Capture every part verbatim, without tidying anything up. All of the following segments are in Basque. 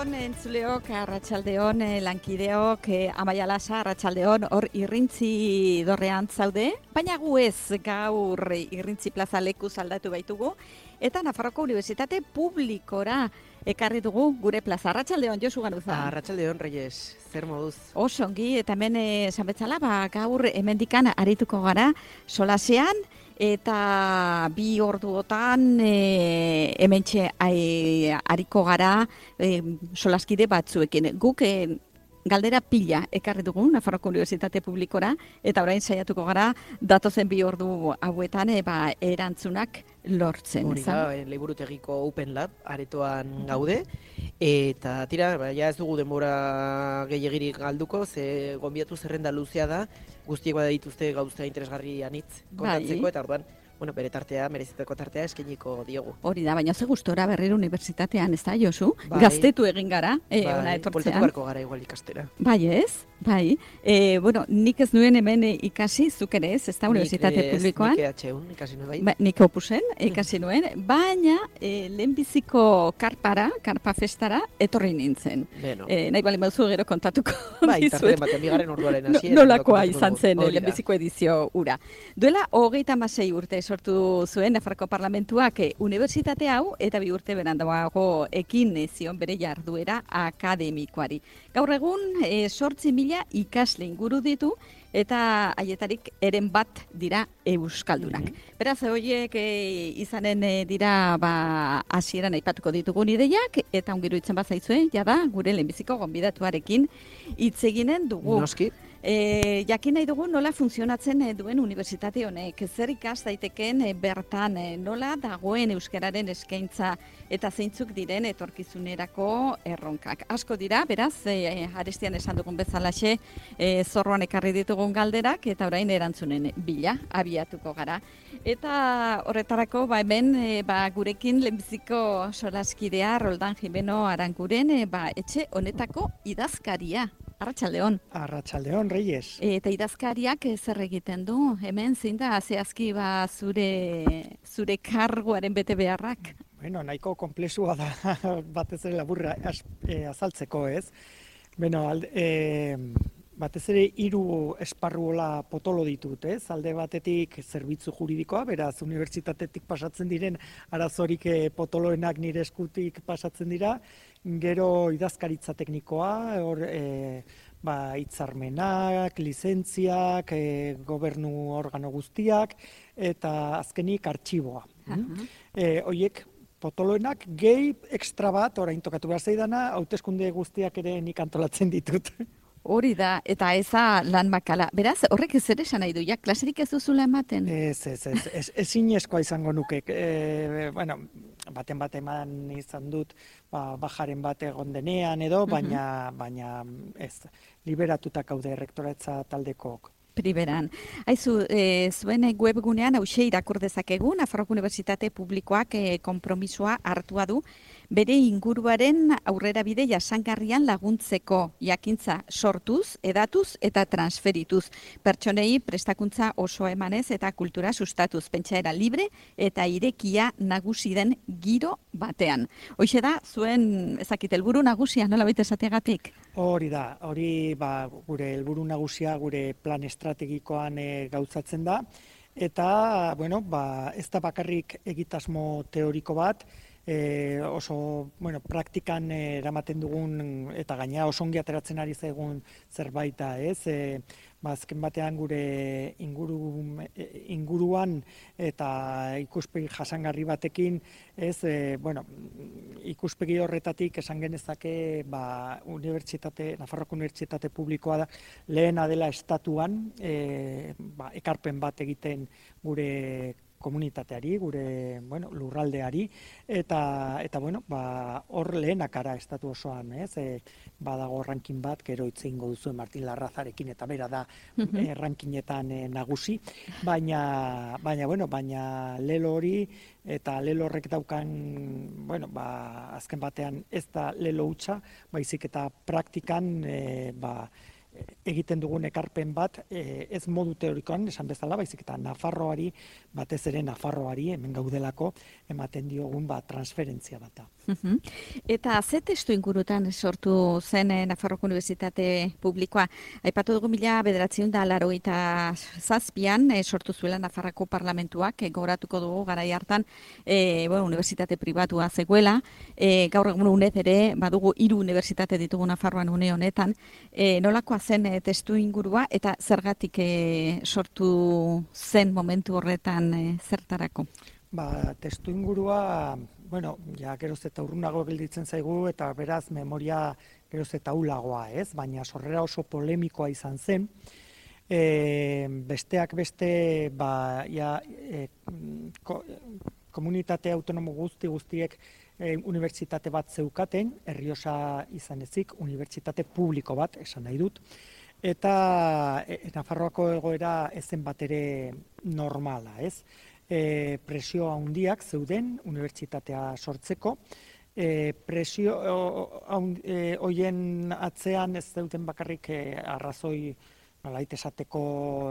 Arratsaldeon entzuleok, arratsaldeon lankideok, Amaia Lasa, arratsaldeon hor irrintzi dorrean zaude, baina gu ez gaur irrintzi plaza lekuz aldatu baitugu, eta Nafarroko Unibertsitate Publikora ekarri dugu gure plaza. Arratsaldeon, Josu Ganuza. Arratsaldeon, Reyes, zer moduz? Oso ongi, eta hemen esan betzala, ba, gaur hemendikan arituko gara solasean, eta bi orduotan e, hementxe e, ariko gara e, solaskide batzuekin. Guk e, galdera pila ekarri dugu Nafarroko Unibertsitate Publikora, eta orain saiatuko gara datozen bi ordu hauetan e, ba, erantzunak lortzen. Hori da, Liburutegiko Open Lab aretoan gaude, eta tira, ba, ja ez dugu denbora gehiagirik galduko, ze gonbiatu zerrenda luzea da, guztiek bada dituzte gauza interesgarri anitz kontatzeko, eta orduan, bueno, bere tartea, merezeteko tartea eskeniko diogu. Hori da, baina ze gustora berriro unibertsitatean, ez da, Josu? Bai. Gaztetu egin gara, e, bai, ona etortzean. Poltatu barko gara igual ikastera. Bai ez, bai. E, bueno, nik ez nuen hemen ikasi, zuk ere ez, ez da, unibertsitate publikoan. Nik E H U ikasi nuen bai. Ba, nik opusen ikasi nuen, baina e, lehenbiziko karpara, karpa festara, etorri nintzen. Beno. E, nahi bali mauzu gero kontatuko bai, tarten batean, bigarren orduaren hasiera. Nolakoa izan zen lehenbiziko edizio ura. Duela, hogeita hamasei urte sortu zuen Nafarroko Parlamentuak e, unibertsitate hau, eta bi urte berandago ekin zion bere jarduera akademikoari. Gaur egun, e, sortzi mila ikasle inguru ditu, eta haietarik eren bat dira euskaldunak. Mm-hmm. Beraz, horiek e, izanen e, dira ba, hasieran aipatuko ditugun ideiak, eta ongiru itzen bat zaizue, jada, gure lehenbiziko gonbidatuarekin hitz eginen dugu. Noski. E, jakin nahi dugu nola funtzionatzen duen unibertsitate honek, zer ikas daiteken e, bertan e, nola dagoen euskararen eskaintza eta zeintzuk diren etorkizunerako erronkak. Asko dira, beraz, e, arestian esan dugun bezalaxe, e, zorroan ekarri ditugun galderak, eta orain erantzunen bila abiatuko gara. Eta horretarako, ba, hemen, e, ba, gurekin lehenbiziko solaskidea Roldan Jimeno Aranguren, e, ba, etxe honetako idazkaria. Arratsaldeon. Arratsaldeon, Reyes. Eta idazkariak zer egiten du? Hemen zein da zehazki ba zure zure karguaren bete beharrak? Bueno, nahiko konplexua da batez ere laburra az, e, azaltzeko, ez? Bueno, alde, e, batez ere hiru esparruola potolo ditut, ez? Alde batetik zerbitzu juridikoa, beraz unibertsitatetik pasatzen diren arazorik e, potoloenak nire eskutik pasatzen dira. Gero idazkaritza teknikoa, hor e, ba, hitzarmenak, lizentziak, e, gobernu organo guztiak, eta azkenik artxiboa. Uh-huh. E, Hoiek potoloenak gehi ekstra bat, orain tokatu behar zaidana, hauteskunde guztiak ere nik antolatzen ditut. Hori da, eta eza lan makala. Beraz, horrek ez ere esan nahi du, ja, klaserik ez duzula ematen? Ez, ez, ez, ez, ez inezkoa izango nuke. E, bueno, baten bat eman izan dut, ba, bajaren bat egon denean edo, baina, uh-huh. baina ez, liberatutak haude rektoratza taldekook. Priberan. Aizu, e, zuen webgunean hause irakur dezakegu, Nafarroko Unibertsitate Publikoak e, konpromisoa hartua du, bere inguruaren aurrerabide jasangarrian laguntzeko jakintza sortuz, edatuz eta transferituz. Pertsonei prestakuntza osoa emanez eta kultura sustatuz, pentsaera libre eta irekia nagusi den giro batean. Hoxe da, zuen ezakit helburu nagusia, nola baita esateagatik? Hori da, hori ba, gure helburu nagusia, gure plan estrategikoan e, gauzatzen da, eta bueno, ba, ez da bakarrik egitasmo teoriko bat, e, oso bueno, praktikan e, eramaten dugun, eta gaina oso ongi ateratzen ari zaigun zerbait da, ez? E, ba, azken batean gure inguru, inguruan eta ikuspegi jasangarri batekin, ez, e, bueno, ikuspegi horretatik esan genezake ba, unibertsitate, Nafarroko Unibertsitate Publikoa da, lehena dela estatuan e, ba, ekarpen bat egiten gure komunitateari, gure bueno, lurraldeari, eta, eta bueno, ba, hor lehenakara estatu osoan, ez? E, badago ranking bat, gero hitz egingo duzu Martin Larrazarekin, eta bera da mm-hmm. e, rankingetan e, nagusi, baina, baina, bueno, baina lelo hori, eta lelo horrek daukan, bueno, ba, azken batean ez da lelo hutsa, baizik eta praktikan, e, ba, egiten dugun ekarpen bat, e, ez modu teorikoan esan bezala, baizik eta Nafarroari, batez ere Nafarroari, hemen gaudelako, ematen diogun ba, transferentzia bat da. Eta ze testu ingurutan sortu zen eh, Nafarroko Unibertsitate Publikoa? Aipatu dugu mila bederatziehun eta laurogeita zazpian eh, sortu zuela Nafarroko Parlamentuak, eh, gogoratuko dugu garai hartan eh, bueno, unibertsitate pribatua zegoela, eh, gaur egun unez ere badugu hiru unibertsitate ditugu Nafarroan une honetan, eh, nolakoa zen eh, testu ingurua eta zergatik eh, sortu zen momentu horretan eh, zertarako? Ba, testu ingurua, bueno, ja geroz eta urrunago gelditzen zaigu eta beraz memoria geroz eta ulagoa, ez? Baina sorrera oso polemikoa izan zen. E, besteak beste, ba, ja, e, ko, komunitate autonomo guzti guztiek e, unibertsitate bat zeukaten, Errioxa izan ezik, unibertsitate publiko bat, esan nahi dut. Eta e, Nafarroako egoera ezen bat ere normala, ez? E, presio handiak zeuden unibertsitatea sortzeko. E, presio e, hoien atzean ez zeuden bakarrik e, arrazoi nolait esateko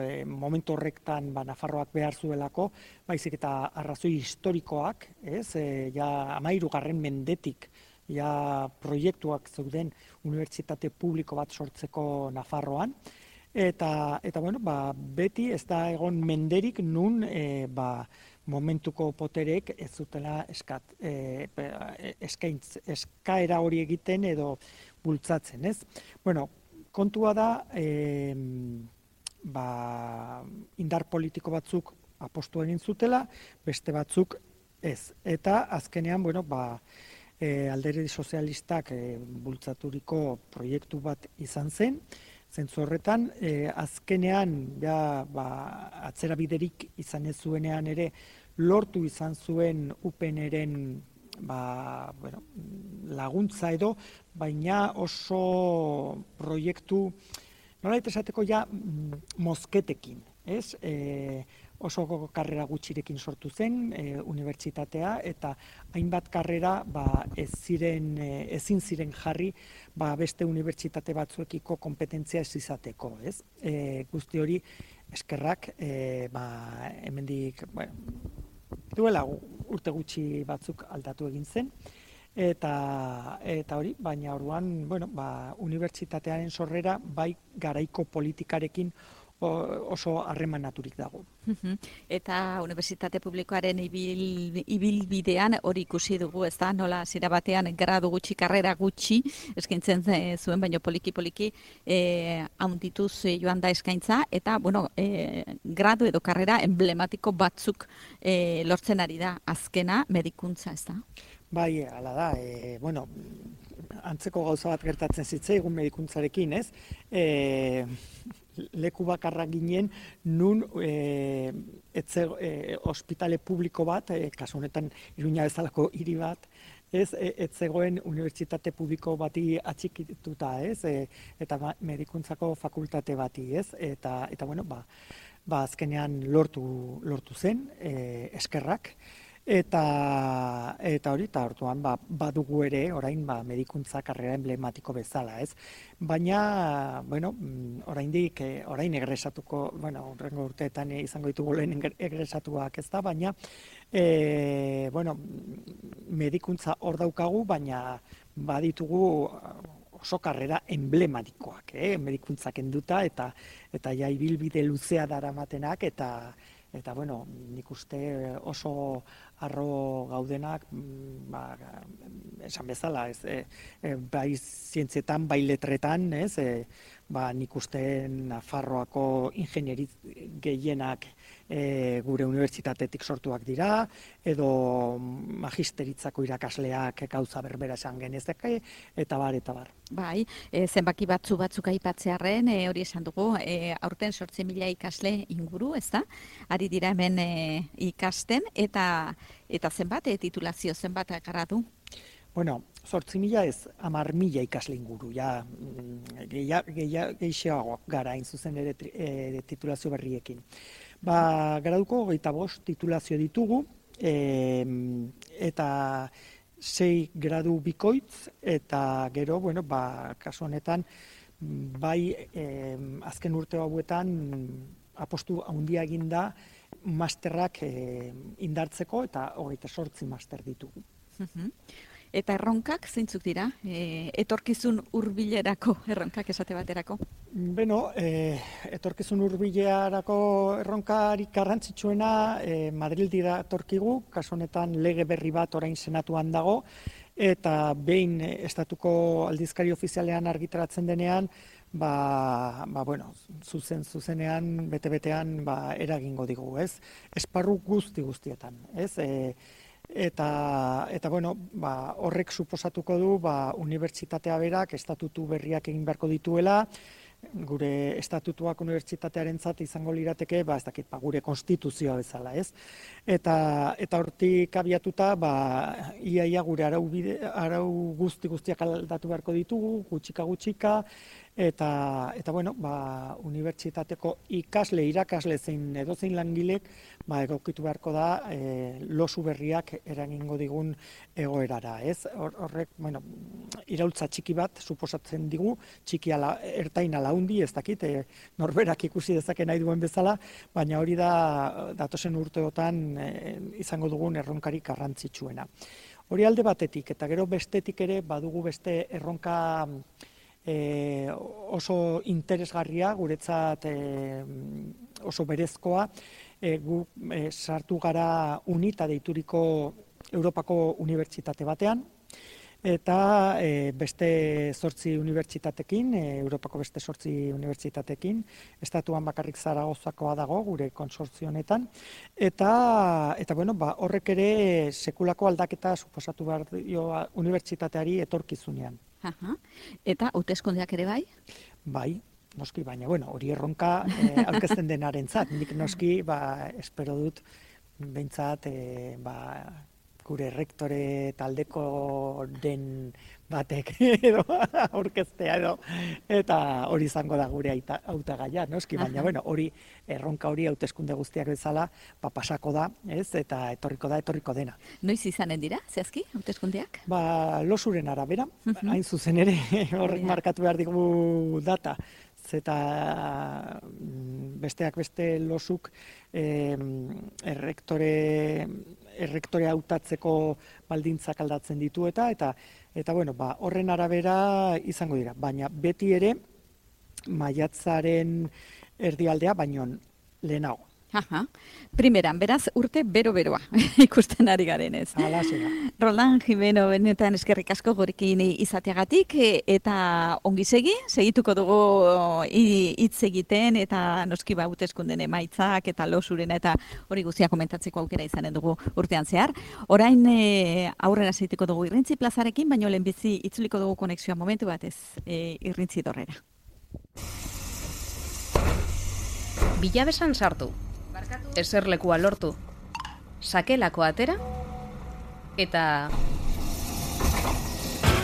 e, momentu horretan ba, Nafarroak behar zuelako, baizik eta arrazoi historikoak, ez? E, ja hamahirugarren mendetik ja proiektuak zeuden unibertsitate publiko bat sortzeko Nafarroan. Eta, eta bueno, ba, beti ez da egon menderik nun e, ba, momentuko poterek ez zutela eskat, e, eskaintz, eskaera hori egiten edo bultzatzen, ez? Bueno, kontua da, e, ba, indar politiko batzuk apostu egin zutela, beste batzuk ez. Eta azkenean, bueno, ba, e, alderdi sozialistak e, bultzaturiko proiektu bat izan zen, zentzu horretan, eh, azkenean, ja, ba, atzera biderik izan ez zuenean ere, lortu izan zuen U P N-eren ba, bueno, laguntza edo, baina oso proiektu, nolait esateko ja, mozketekin, ez? E, oso karrera gutxirekin sortu zen e, unibertsitatea eta hainbat karrera ba, ez ziren, e, ezin ziren jarri ba, beste unibertsitate batzuekiko kompetentzia ez izateko. Ez? E, guzti hori eskerrak e, ba, hemendik bueno, duela urte gutxi batzuk aldatu egin zen. Eta, eta hori, baina orduan bueno, ba, unibertsitatearen sorrera bai garaiko politikarekin oso harremanaturik dago. Eta unibertsitate publikoaren ibil, ibilbidean hori ikusi dugu, ez da, nola zira batean gradu gutxi, karrera gutxi eskaintzen zuen, baina poliki-poliki eh, handituz joan da eskaintza, eta, bueno, eh, gradu edo karrera emblematiko batzuk eh, lortzen ari da, azkena medikuntza, ez da? Bai, hala da, e, bueno, antzeko gauza bat gertatzen zitzaigun medikuntzarekin, ez? E, leku bakarra ginen nun e, etze, e, ospitale publiko bat, e, kasu honetan Iruña bezalako hiri bat, ez, e, ez zegoen unibertsitate publiko bati atxikituta, ez, e, eta medikuntzako fakultate bati, ez, eta, eta bueno, ba, ba azkenean lortu, lortu zen, e, eskerrak, Eta, eta hori, eta orduan ba, badugu ere, orain ba, medikuntza karrera emblematiko bezala, ez? Baina, bueno, oraindik, orain egresatuko, bueno, horrengo urteetan izango ditugu lehen egresatuak, ez da, baina, e, bueno, medikuntza hor daukagu, baina baditugu oso karrera emblematikoak, eh? Medikuntza kenduta, eta, eta ja ibilbide luzea daramatenak, eta Eta, bueno, nik uste oso arro gaudenak, ba, esan bezala, ez, e, e, bai zientzietan, bai letretan, ez, e, ba, nik uste Nafarroako ingenieri gehienak e, gure unibertsitatetik sortuak dira, edo magisteritzako irakasleak gauza berbera esan genezake, eta bar, eta bar. Bai, e, zenbaki batzu batzuk aipatzearren, e, hori esan dugu, e, aurten zortzi mila ikasle inguru, ez da? Ari dira hemen e, ikasten, eta eta zenbat, e, titulazio zenbat gradu? Bueno, zortzi mila ez, hamar mila ikasle inguru, ja, gehiagoak gara hain zuzen ere e, titulazio berriekin. Ba, graduko hogeita bost titulazio ditugu, e, eta sei gradu bikoitz, eta gero, bueno, ba, kasu honetan, bai e, azken urte hauetan apostu handia egin da masterrak e, indartzeko eta hogeita zortzi master ditugu. Eta erronkak zeintzuk dira? E, etorkizun hurbilerako erronkak esate baterako? Beno, e, etorkizun hurbilerako erronkarik garrantzitsuena e, Madrildira etorkigu, kasu honetan lege berri bat orain senatuan dago, eta behin estatuko aldizkari ofizialean argitaratzen denean, ba, ba bueno, zuzen zuzenean, bete-betean ba, eragingo digu, ez? Esparru guzti guztietan, ez? E, Eta, eta bueno, ba, horrek suposatuko du ba, unibertsitatea berak estatutu berriak egin beharko dituela, gure estatutuak unibertsitatearentzat izango lirateke, ba, ez dakit, ba, gure konstituzioa bezala, ez? Eta, eta hortik abiatuta, ba, iaia gure arau, bide, arau guzti guztiak aldatu beharko ditugu, gutxika gutxika, eta, eta bueno, ba, unibertsitateko ikasle, irakasle zein edozein langilek, ba, egokitu beharko da e, losu berriak eragingo digun egoerara, ez? Horrek, bueno, iraultza txiki bat suposatzen digu, txiki ala, ertain ala hundi, ez dakit, e, norberak ikusi dezake nahi duen bezala, baina hori da datozen urteotan e, izango dugun erronkarik garrantzitsuena. Hori alde batetik, eta gero bestetik ere badugu beste erronka E, oso interesgarria, guretzat e, oso berezkoa, e, gu e, sartu gara UNITA deituriko Europako unibertsitate batean, eta e, beste zortzi unibertsitatekin, e, Europako beste zortzi unibertsitatekin, estatuan bakarrik Zaragozakoa dago gure kontsortzio honetan, eta, eta bueno, ba, horrek ere sekulako aldaketa suposatu behar dio unibertsitateari etorkizunean. Aha. Eta hauteskundeak ere bai? Bai, noski, baina bueno, hori erronka eh, aurkezten denarentzat. Nik noski, ba, espero dut behintzat e, ba, gure rektore taldeko den batek edo aurkeztea edo, eta hori izango da gure hautagaia, noski, baina bueno, hori erronka hori hauteskunde guztiak bezala, ba, pasako da, ez, eta etorriko da, etorriko dena. Noiz izanen dira, zehazki, hauteskundeak? Ba, losuren arabera, hain zuzen ere, horrek markatu behar digu data, zeta besteak beste losuk eh, errektore errektore hautatzeko baldintzak aldatzen ditu eta eta eta bueno, ba, horren arabera izango dira, baina beti ere maiatzaren erdialdea baino lehenago. Aha. Primeran, beraz, urte bero-beroa ikusten ari garen ez. Hala zera. Roland Jimeno, benetan eskerrik asko gurekin izateagatik, eta ongi segi, segituko dugu hitz egiten, eta noski ba hauteskunden emaitzak, eta losurena, eta hori guztia komentatzeko aukera izanen dugu urtean zehar. Orain e, aurrera segituko dugu Irrintzi plazarekin, baino lehenbizi itzuliko dugu konexioa momentu batez e, Irrintzi dorrera. Bilabesan sartu. Eserlekua lortu, sakelako atera, eta